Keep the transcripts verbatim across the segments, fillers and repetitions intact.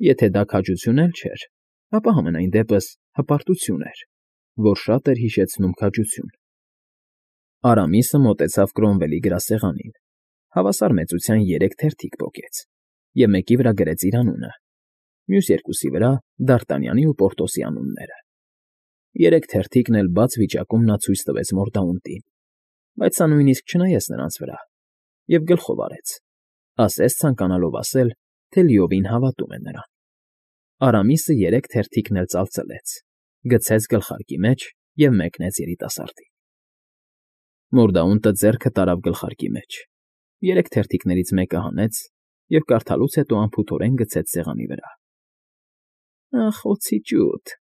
Եթե դա քաջություն էլ չէր, ապա համենայն դեպս հպարտություն էր, որ շատ էր հիշեցնում քաջություն։ Արամիսը մոտեցավ Կրոմվելի գրասեղանին, հավասար մեծության երեք թերթիկ պոկեց և մեկի վրա գրեց իր անունը, մյուս երկուսի վրա՝ Դ'Արտանյանի ու Պորտոսի անունները։ Երեք թերթիկն էլ բաց վիճակում նա ցույց տվեց Մորդաունտին, բայց սա նույնիսկ չնայեց նրանց վրա և գլխով արեց, ասես ցանկանալով ասել, թե լիովին հավատում է նրան։ Արամիսը երեք թերթիկն էլ ծալծլեց, գցեց գլխարկի մեջ և մեկնեց երիտասարդին։ Մորդաունտը ձեռքը տարավ գլխարկի մեջ, երեք թերթիկներից մեկը հանեց և կարդալուց հետո անփութորեն գցեց սեղանի վրա։ ֊ Ախ, օձի ջութ,֊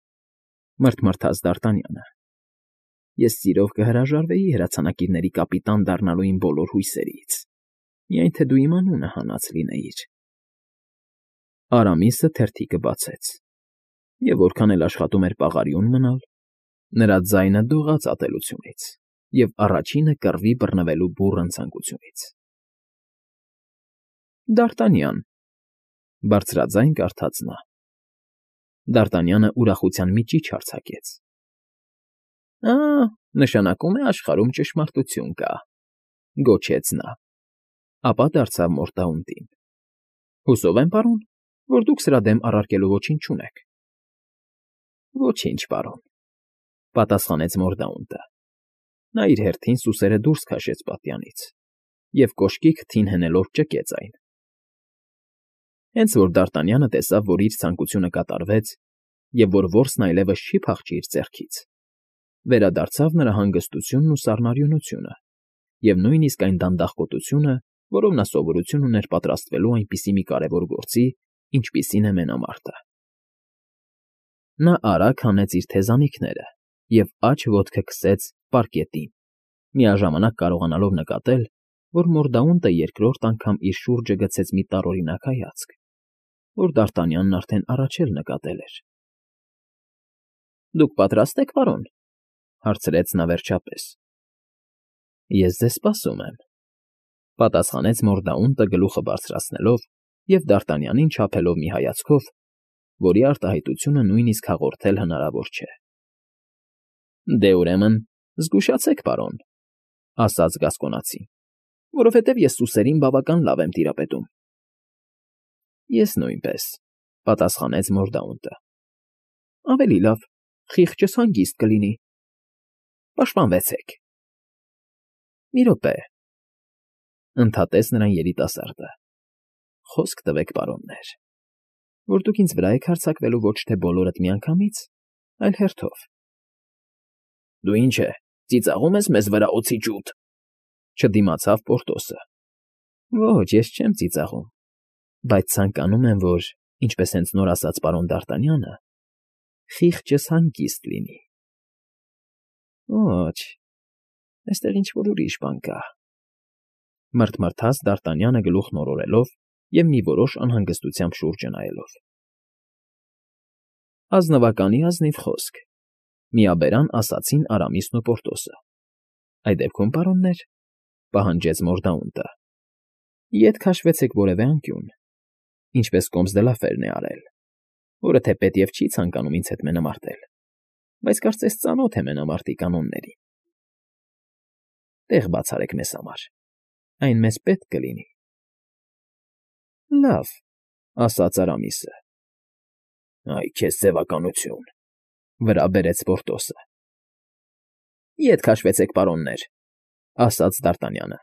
մռթմռթաց Դ'Արտանյանը։֊ Ես սիրով կհրաժարվեի հրացանակիրների կապիտան դառնալու իմ բոլոր հույսերից, միայն թե դու իմ անունը հանած լինեիր… Արամիսը թերթիկը բացեց, և որքան էլ աշխատում էր պաղարիուն մնալ, նրա ձայնը դողաց ատելությունից և առաջինը կռվի բռնվելու բուռն ցանկությունից։ ֊ Դ'Արտանյան,֊ բարձրաձայն կարդաց նա։ Դ'Արտանյանը ուրախության մի ճիչ արձակեց։ ֊ Ա՜, նշանակում է աշխարհում ճշմարտություն կա,֊ գոչեց նա, ապա դարձավ Մորդաունտին։ ֊ Հուսով եմ, պարոն, որ դուք սրա դեմ առարկելու ոչինչ չունեք։ ֊ Ոչինչ, պարոն,֊ պատասխանեց Մորդաունտը։ Նա իր հերթին սուսերը դուրս քաշեց պատյանից և կոշկի քթին հնելով ճկեց այն։ Հենց որ Դ'Արտանյանը տեսավ, որ իր ցանկությունը կատարվեց և որ որսն այլևս չի փախչի իր ձեռքից, վերադարձավ նրա հանգստությունն ու սառնարյունությունը և նույնիսկ այն դանդաղկոտությունը, որով նա սովորություն ուներ պատրաստվելու այնպիսի մի կարևոր գործի, ինչպիսին է մենամարտը։ Նա արագ հանեց իր թեզանիքները և աջ ոտքը քսեց պարկետին, միաժամանակ կարողանալով նկատել, որ Մորդաունտը երկրորդ անգամ իր շուրջը գցեց մի տարօրինակ հայացք, որ Դ'Արտանյանն արդեն առաջ էլ նկատել էր։ ֊ Դուք պատրաստ եք, պարոն,֊ հարցրեց նա վերջապես։ ֊ Ես ձեզ սպասում եմ,֊ պատասխանեց Մորդաունտը գլուխը բարձրացնելով և Դ'Արտանյանին չափելով մի հայացքով, որի արտահայտությունը նույնիսկ հաղորդել հնարավոր չէ։ ֊ Դե, ուրեմն, զգուշացեք, պարոն,֊ ասաց գասկոնացին, որովհետև ես սուսերին բավական լավ եմ տիրապետում։ ֊ Ես նույնպես,֊ պատասխանեց Մորդաունտը։ ֊ Ավելի լավ, խիղճս հանգիստ կլինի։ Պաշտպանվեցեք։ ֊ Մի րոպե,֊ ընդհատեց նրան երիտասարդը,֊ խոսք տվեք, պարոններ, որ դուք ինձ վրա եք հարձակվելու ոչ թե բոլորդ միանգամից, այլ հերթով։ ֊ Դու ինչ է, ծիծաղում ես մեզ վրա, օձի ջութ,֊ չդիմացավ Պորտոսը։ ֊ Ոչ, ես չեմ ծիծաղում, բայց ցանկանում եմ, որ, ինչպես հենց նոր ասաց պարոն Դ'Արտանյանը, խիղճս հանգիստ լինի։ ֊ Ոչ, այստեղ ինչ֊որ ուրիշ բան կա,֊ մռթմռթաց Դ'Արտանյանը գլուխն օրորելով և մի որոշ անհանգստությամբ շուրջը նայելով։ ֊ Ազնվականի ազնիվ խոսք,֊ միաբերան ասացին Արամիսն ու Պորտոսը։ ֊ Այդ դեպքում, պարոններ,֊ պահանջեց Մորդաունտը,֊ ետ քաշվեցեք որևէ անկյուն, ինչպես Կոմս դը Լաֆերն է արել, որը թեպետև չի ցանկանում ինձ հետ մենամարտել, բայց կարծես ծանոթ է մենամարտի կանոններին։ Տեղ բաց արեք մեզ համար, այն մեզ պետք կլինի։ ֊ Լավ,֊ ասաց Արամիսը։ ֊ Այ քեզ ձևականություն,֊ վրա բերեց Պորտոսը։ ֊ Ետ քաշվեցեք, պարոններ,֊ ասաց Դ'Արտանյանը։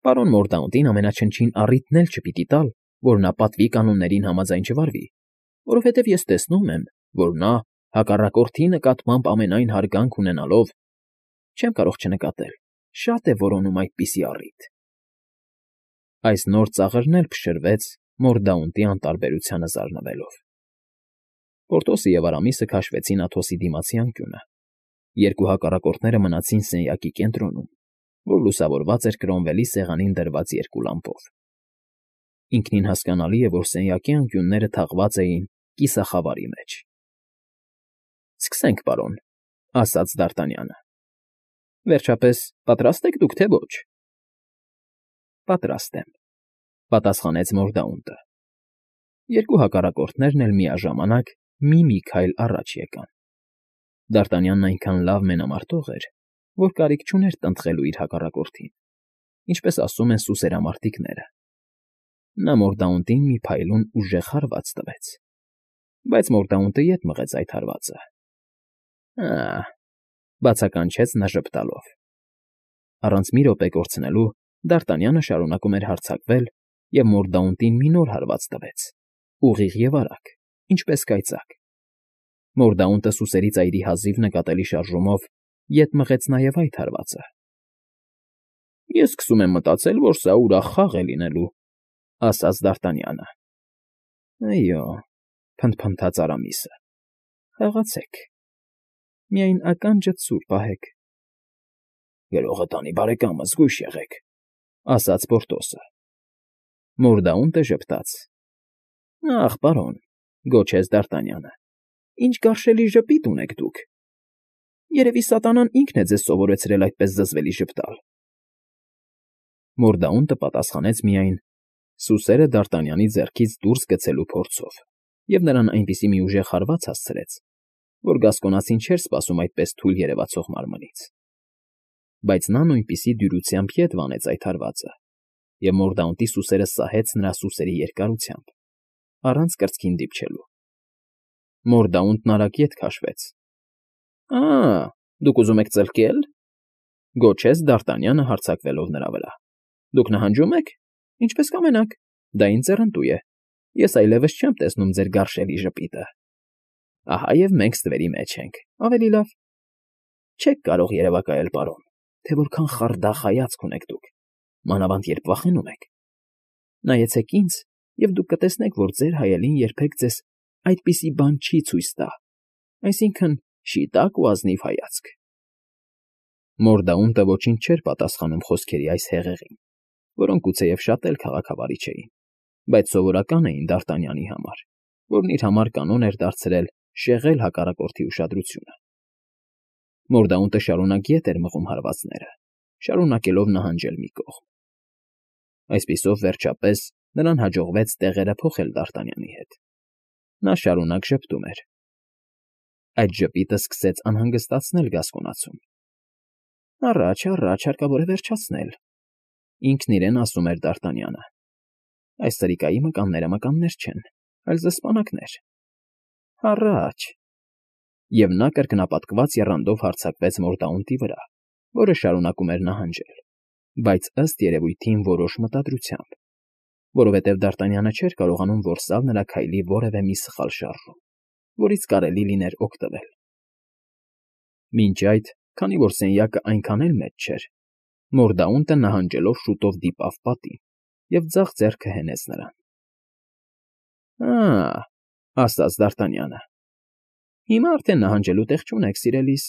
Պարոն Մորդաունտին ամենաչնչին առիթն էլ չպիտի տալ, որ նա պատվի կանոններին համաձայն չվարվի, որովհետև ես տեսնում եմ, որ նա, հակառակորդի նկատմամբ ամենայն հարգանք ունենալով, չեմ կարող չնկատել, շատ է որոնում այդպիսի առիթ… Այս նոր ծաղրն էլ փշրվեց Մորդաունտի անտարբերությանը զարնվելով։ Պորտոսը և Արամիսը քաշվեցին Աթոսի դիմացի անկյունը, երկու հակառակորդները մնացին սենյակի կենտրոնում, որ լուսավորված էր Կրոմվելի սեղանին դրված երկու լամպով։ Ինքնին հասկանալի է, որ սենյակի անկյունները թաղված էին կիսախավարի մեջ։ ֊ Սկսենք, պարոն,֊ ասաց Դ'Արտանյանը։ ֊ Վերջապես, պատրաստ եք դուք, թե ոչ։ ֊ Պատրաստ եմ,֊ պատասխանեց Մորդաունտը։ Երկու հակառակորդներն էլ միաժամանակ մի֊մի քայլ առաջ եկան։ Դարտանյանն այնքան լավ մենամարտող էր, որ կարիք չուներ տնտղելու իր հակառակորդին, ինչպես ասում են սուսերամարտիկները։ Նա Մորդաունտին մի փայլուն ուժեղ հարված տվեց, բայց Մորդաունտը ետ մղեց այդ հարվածը։ Ա՜, բացականչեց նա ժպտալով։ Առանց մի րոպե կորցնելու Դարտանյանը շարունակում էր հարձակվել և Մորդաունտին մի նոր հարված տվեց, ուղիղ և արագ, ինչպես կայծակ։ Մորդաունտը սուսերի ծայրի հազիվ նկատելի շարժումով ետ մղեց նաև այդ հարվածը։ ֊ Ես սկսում եմ մտածել, որ սա ուրախ խաղ է լինելու, ֊ ասաց Դարտանյանը։ ֊ Այո, ֊ փնթփնթաց Արամիսը։ ֊ Խաղացեք, միայն ականջդ սուր պահեք։ ֊ Գրողը տանի, բարեկամս, զգույշ եղեք, ֊ ասաց Պորտոսը։ Մորդաունտը ժպտաց։ ֊ Ախ, պարոն, ֊ գոչեց Դարտանյանը, ֊ ինչ գարշելի ժպիտ ունեք դուք. երևի սատանան ինքն է ձեզ սովորեցրել այդպես զզվելի ժպտալ։ Մորդաունտը պատասխանեց միայն սուսերը Դարտանյանի ձեռքից դուրս գցելու փորձով և նրան այնպիսի մի ուժեղ հարված հասցրեց, որ գասկոնացին չէր սպասում այդպես թույլ երևացող մարմնից։ Բայց նա նույնպիսի դյուրությամբ ետ վանեց այդ հարվածը, և Մորդաունտի սուսերը սահեց նրա սուսերի երկարությամբ, առանց կրծքին դիպչելու։ Մորդաունտն արագ ետ քաշվեց։ ֊ Ա՜, դուք ուզում եք ծլկե՞լ, ֊ գոչեց Դարտանյանը հարձակվելով նրա վրա։ ֊ Դուք նահանջո՞ւմ եք։ Ինչպես կամենաք, դա ինձ ձեռնտու է, ես այլևս չեմ տեսնում ձեր գարշելի ժպիտը։ Ահա և մենք ստվերի մեջ ենք, ավելի լավ։ Չեք կարող երևակայել, պարոն, թե որքան խարդախ հայացք ունեք դուք, մանավանդ երբ վախենում եք։ Նայեցեք ինձ, և դուք կտեսնեք, որ ձեր հայելին երբեք ձեզ այդպիսի բան չի ցույց տա, այսինքն՝ շիտակ ու ազնիվ հայացք։ Մորդաունտը ոչինչ չէր պատասխանում խոսքերի այս հեղեղին, որոնք գուցեև շատ էլ քաղաքավարի չէին, բայց սովորական էին Դարտանյանի համար, որն իր համար կանոն էր դարձրել շեղել հակառակորդի ուշադրությունը։ Մորդաունտը շարունակ ետ էր մղում հարվածները, շարունակելով նահանջել մի կողմ։ Այսպիսով, վերջապես, նրան հաջողվեց տեղերը փոխել Դարտանյանի հետ։ Նա շարունակ ժպտում էր։ Այդ ժպիտը սկսեց անհանգստացնել գասկոնացուն։ Առաջ, առաջ, հարկավոր է վերջացնել, ինքն իրեն ասում էր Դարտանյանը։ Այս սրիկայի մկանները մկաններ չեն, այլ զսպանակներ։ Առաջ… Եվ նա կրկնապատկված եռանդով հարձակվեց Մորդաունտի վրա, որը շարունակում էր նահանջել, բայց ըստ երևույթին որոշ մտադրությամբ, որովհետև Դարտանյանը չէր կարողանում որսալ նրա քայլի որևէ մի սխալ շարժում, որից կարելի լիներ օգտվել։ Մինչ այդ, քանի որ սենյակը այնքան էլ մեծ չէր, Մորդաունտը նահանջելով շուտով դիպավ պատին և ձախ ձեռքը հենեց նրան։ Ա՜, ֊ ասաց Դարտանյանը, ֊ հիմա արդեն նահանջելու տեղ չունեք, սիրելիս։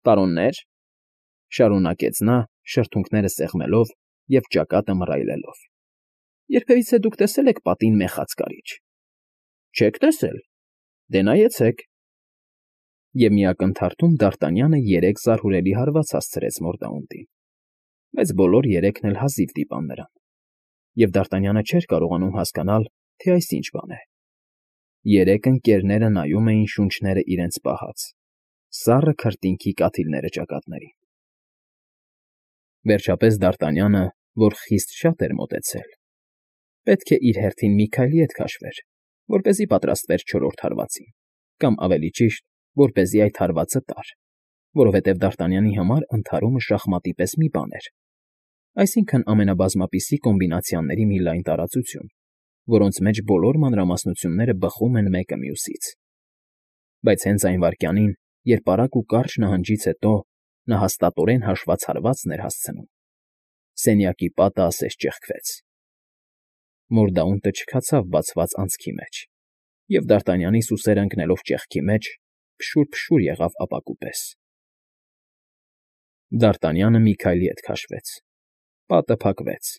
Պարոննե՛ր, ֊ շարունակեց նա, շրթունքները սեղմելով և ճակատը մռայլելով, ֊ երբևիցե դուք տեսե՞լ եք պատին մեխած կարիճ։ Չեք տեսել։ Դե նայեցեք։ Եվ մի ակնթարթում Դարտանյանը երեք զարհուրելի հարված հասցրեց Մորդաունտին, բայց բոլոր երեքն էլ հազիվ դիպան նրան, և Դարտանյանը չէր կարողանում հասկանալ, թե այս ինչ բան է։ Երեք ընկերները նայում էին շունչները իրենց պահած, սառը քրտինքի կաթիլները ճակատներին։ Վերջապես Դարտանյանը, որ խիստ շատ էր մոտեցել, պետք է իր հերթին մի քայլ ետ քաշվեր, որպեսզի պատրաստվեր չորրորդ հարվածին, կամ ավելի ճիշտ, որպեսզի այդ հարվածը տար, որովհետև Դարտանյանի համար ընդհարումը շախմատի պես մի բան էր, այսինքն ամենաբազմապիսի կոմբինացիաների մի լայն տարածություն, որոնց մեջ բոլոր մանրամասնությունները բխում են մեկը մյուսից։ Բայց հենց այն վայրկյանին, երբ արագ ու կարճ նահանջից հետո նա հաստատորեն հաշված հարվածն էր հասցնում, սենյակի պատը ասես ճեղքվեց։ Մորդաունտը չքացավ բացված անցքի մեջ, և Դարտանյանի սուսերն ընկնելով ճեղքի մեջ, փշուր֊փշուր եղավ ապակու պես։ Դարտանյանը մի քայլ ետ քաշվեց, պատը փակվեց։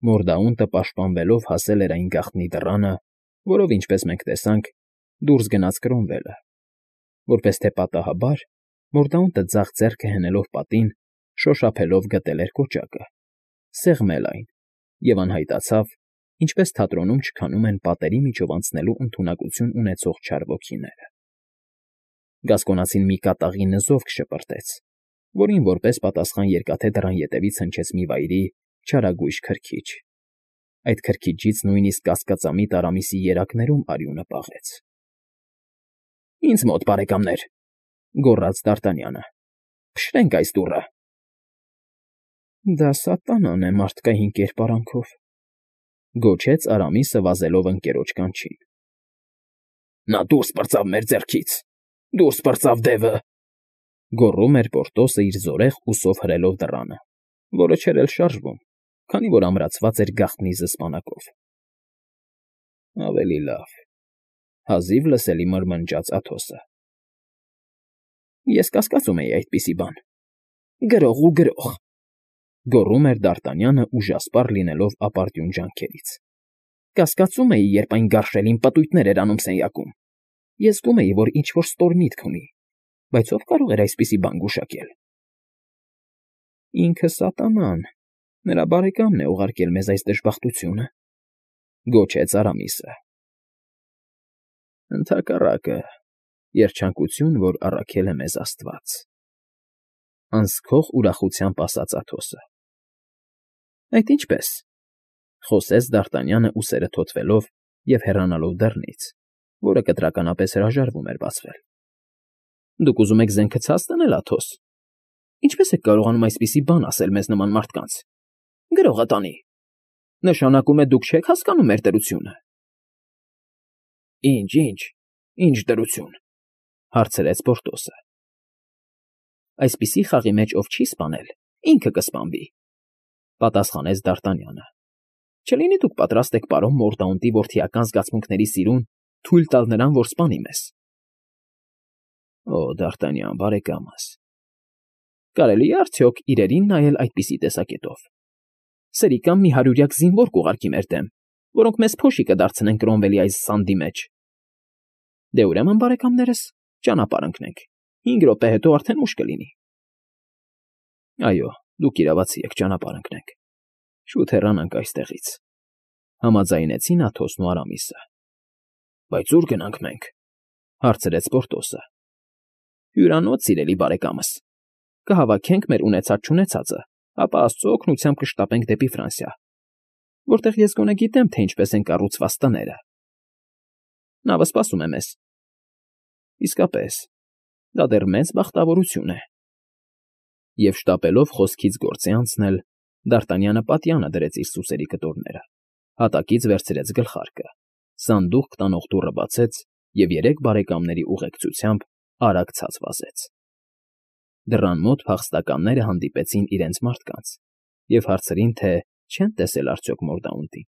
Մորդաունտը պաշտպանվելով հասել էր այն գաղտնի դռանը, որով, ինչպես մենք տեսանք, դուրս գնաց Կրոմվելը։ Որպես թե պատահաբար, Մորդաունտը ձախ ձեռքը հենելով պատին, շոշափելով գտել էր կոճակը, սեղմել այն և անհայտացավ, ինչպես թատրոնում չքանում են պատերի միջով անցնելու ընդունակություն ունեցող չար ոգիները։ Գասկոնացին մի կատաղի նզովք շպրտեց, որին որպես պատասխան երկաթե դռան ետևից հնչեց մի վայրի, չարագույժ քրքիջ։ Այդ քրքիջից նույնիսկ կասկածամիտ Արամիսի երակներում արյունը պաղեց։ ֊ Ինձ մոտ, բարեկամներ,֊ գոռաց Դ'Արտանյանը,֊ փշրենք այս դուռը։ ֊ Դա սատանան է մարդկային կերպարանքով,֊ գոչեց Արամիսը վազելով ընկերոջ կանչին։ ֊ Նա դուրս պրծավ մեր ձեռքից… Դուրս պրծավ, դևը,֊ գոռում էր Պորտոսը իր զորեղ ուսով հրելով դռանը, որը չէր էլ շարժվում, քանի որ ամրացված էր գաղտնի զսպանակով։ ֊ Ավելի լավ,֊ հազիվ լսելի մրմնջաց Աթոսը։ ֊ Ես կասկածում էի այդպիսի բան… Գրող ու գրող,֊ գոռում էր Դ'Արտանյանը ուժասպառ լինելով ապարդյուն ջանքերից։ ֊ Կասկածում էի, երբ այն գարշելին պտույտներ էր անում սենյակում… Ես զգում էի, որ ինչ֊որ ստոր միտք ունի, բայց ո՞վ կարող էր այսպիսի բան գուշակել։ ֊ Ինքը սատանան… Նրա բարեկամն է ուղարկել մեզ այս դժբախտությունը,֊ գոչեց Արամիսը։ ֊ Ընդհակառակը, երջանկություն, որ առաքել է մեզ աստված,֊ անզքող ուրախությամբ ասաց Աթոսը։ ֊ Այդ ինչպե՞ս,֊ խոսեց Դ'Արտանյանը ուսերը թոթվելով և հեռանալով դռնից, որը կտրականապես հրաժարվում էր բացվել։ ֊ Դուք ուզում եք զենքը ցած տնել, Աթոս… Ինչպե՞ս եք կարողանում այսպիսի բան ասել մեզ նման մարդկանց… Գրողը տանի… Նշանակում է դուք չեք հասկանում մեր դրությունը… ֊ Ի՞նչ, ի՞նչ, ի՞նչ դրություն,֊ հարցրեց Պորտոսը։ ֊ Այսպիսի խաղի մեջ ով չի սպանել, ինքը կսպանվի,֊ պատասխանեց Դ'Արտանյանը։ ֊ Չլինի դուք պատրաստ եք պարոն Մորդաունտի որդիական զգացմունքների սիրուն թույլ տալ նրան, որ սպանի մեզ… ֊ Օ, Դ'Արտանյան բարեկամս, կարելի է արդյոք իրերին նայել այդպիսի տեսակետով… Սրիկամ մի հարյուրյակ զինվոր կուղարկի մեր դեմ, որոնք մեզ փոշի կդարձնեն Կրոմվելի այս սանդի մեջ… Դե ուրեմն, բարեկամներս, ճանապարհ ընկնենք, հինգ րոպե հետո արդեն ուշ կլինի… ֊ Այո, դուք իրավացի եք, ճանապարհ ընկնենք… Շուտ հեռանանք այստեղից,֊ համաձայնեցին Աթոսն ու Արամիսը։ ֊ Բայց ո՞ւր գնանք մենք,֊ հարցրեց Պորտոսը։ ֊ Հյուրանոց, սիրելի բարեկամս… Կհավաքենք մեր ունեցած֊չունեցածը, ապա աստծու օգնությամբ կշտապենք դեպի Ֆրանսիա, որտեղ ես գոնե գիտեմ, թե ինչպես են կառուցված տները… Նավը սպասում է մեզ… Իսկապես, դա դեռ մեծ բախտավորություն է… Եվ շտապելով խոսքից գործի անցնել, Դ'Արտանյանը պատյանը դրեց իր սուսերի կտորները, հատակից վերցրեց գլխարկը, սանդուղք տանող դուռը բացեց և երեք բարեկամների ուղեկցությամբ արագ ցած վազեց… Դռան մոտ փախստականները հանդիպեցին իրենց մարդկանց և հարցրին, թե չեն տեսել արդյոք Մորդաունտին,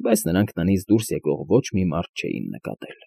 բայց նրանք տնից դուրս եկող ոչ մի մարդ չէին նկատել։